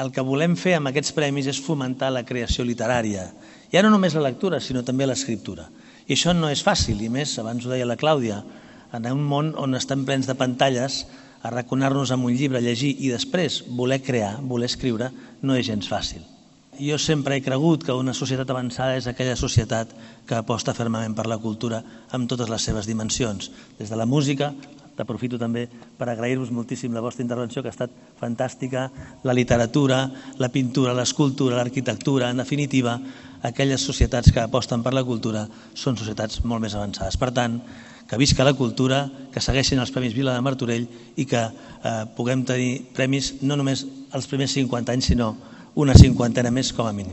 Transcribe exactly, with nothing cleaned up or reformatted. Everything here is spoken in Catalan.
el que volem fer amb aquests premis és fomentar la creació literària. Ja no només la lectura, sinó també l'escriptura. I això no és fàcil, i més, abans ho deia la Clàudia, en un món on estem plens de pantalles, arraconar-nos amb un llibre, llegir i després voler crear, voler escriure, no és gens fàcil. Jo sempre he cregut que una societat avançada és aquella societat que aposta fermament per la cultura amb totes les seves dimensions, des de la música. Aprofito també per agrair-vos moltíssim la vostra intervenció, que ha estat fantàstica, la literatura, la pintura, l'escultura, l'arquitectura, en definitiva, aquelles societats que aposten per la cultura són societats molt més avançades. Per tant, que visca la cultura, que segueixin els Premis Vila de Martorell i que eh, puguem tenir premis no només els primers cinquanta anys, sinó una cinquantena més com a mínim.